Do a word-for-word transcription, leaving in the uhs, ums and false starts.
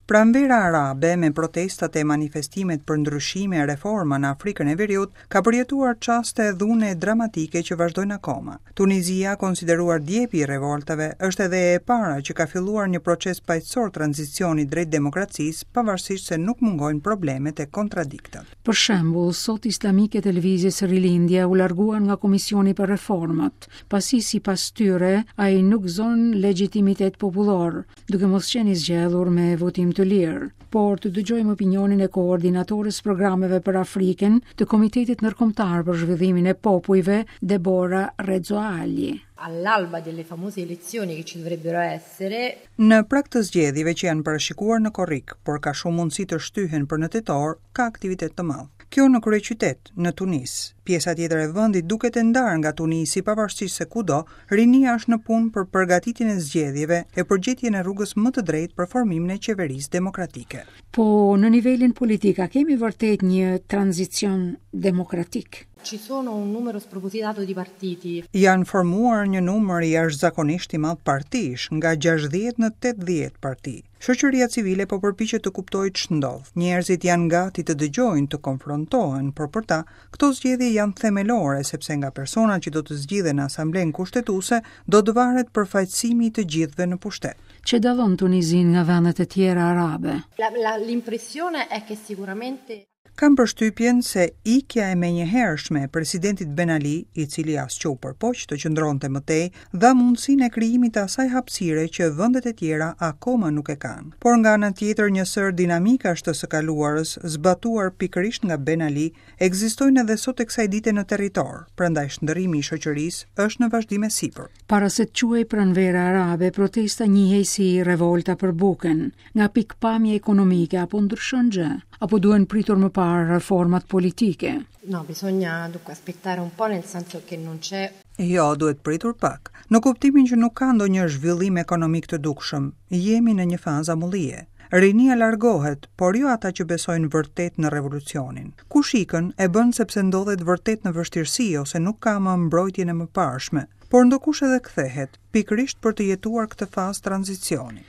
Pranvera arabe, me protestat e manifestimet për ndryshime e reforma në Afrikën e Veriut, ka përjetuar çaste dhune dramatike që vazhdojnë akoma. Tunizia, konsideruar djepi i revoltave, është edhe e para që ka filluar një proces paqësor tranzicioni drejt demokracisë, pavarësisht se nuk mungojnë problemet e kontradiktat. Për shembull, sot islamikët e lëvizjes Rilindja u larguan nga Komisioni për Reformat, pasi sipas tyre ai nuk gëzon legjitimitet popullor, duke mos qenë i zgjedhur me votim të lirë. Por të dëgjojmë opinionin e koordinatores programeve për Afrikën të Komitetit Ndërkombëtar për Zhvillimin e Popujve, Deborah Rezzoagli. All'alba delle famose elezioni che ci dovrebbero essere, Në prag të zgjedhjeve që janë parashikuar në korrik, por ka shumë mundësi të shtyhen për në tetor, ka aktivitet të madh. Kjo në kryeqytet, në Tunis. Pjesa tjetër e vendit duket e ndarë nga Tunisi, pavarësisht se kudo, rinia është në punë për përgatitjen e zgjedhjeve e për gjetjen e rrugës më të drejtë për formimin e qeverisë demokratike. Po në nivelin politik, a kemi vërtet një tranzicion demokratik? Ci sono un numero spropositato di partiti. Janë formuar një numër i jashtëzakonisht i madh partish, nga gjashtëdhjetë në tetëdhjetë parti. Shoqëria civile po përpiqet të kuptojë ç'ndodh. Njerëzit janë gati të dëgjojnë, të konfrontohen, por për ta këto zgjedhje janë themelore, sepse nga personat që do të zgjidhen në Asamblenë Kushtetuese do të varet përfaqësimi i të gjithëve në pushtet. Që dallon Tunizin nga vendet e tjera arabe? La, la, l'impressione è che sicuramente Kam përshtypjen se ikja e menjëhershme e presidentit Ben Ali, i cili as që u përpoq të qëndronte më tej, dha mundësinë e krijimit të asaj hapësire që vendet e tjera akoma nuk e kanë. Por nga ana tjetër, një sër dinamikash të së kaluarës, zbatuar pikërisht nga Ben Ali, ekzistojnë edhe sot e kësaj dite në territor, prandaj shndërrimi i shoqërisë është në vazhdim e sipër. Para se të quhej Pranvera Arabe, protesta njihej si revolta për bukën. Nga pikpamja ekonomike, apo ndryshon gjë? Apo duhen pritur më parë reformat politike? No, bisogna dunque aspettare un po', nel senso che non c'è Jo, duhet pritur pak. Në kuptimin që nuk ka ndonjë zhvillim ekonomik të dukshëm, jemi në një fazë amullie. Rinia largohet, por jo ata që besojnë vërtet në revolucionin. Kush ikën e bën sepse ndodhet vërtet në vështirësi ose nuk ka më mbrojtjen e mëparshme, por ndokush edhe kthehet, pikërisht për të jetuar këtë fazë tranzicioni.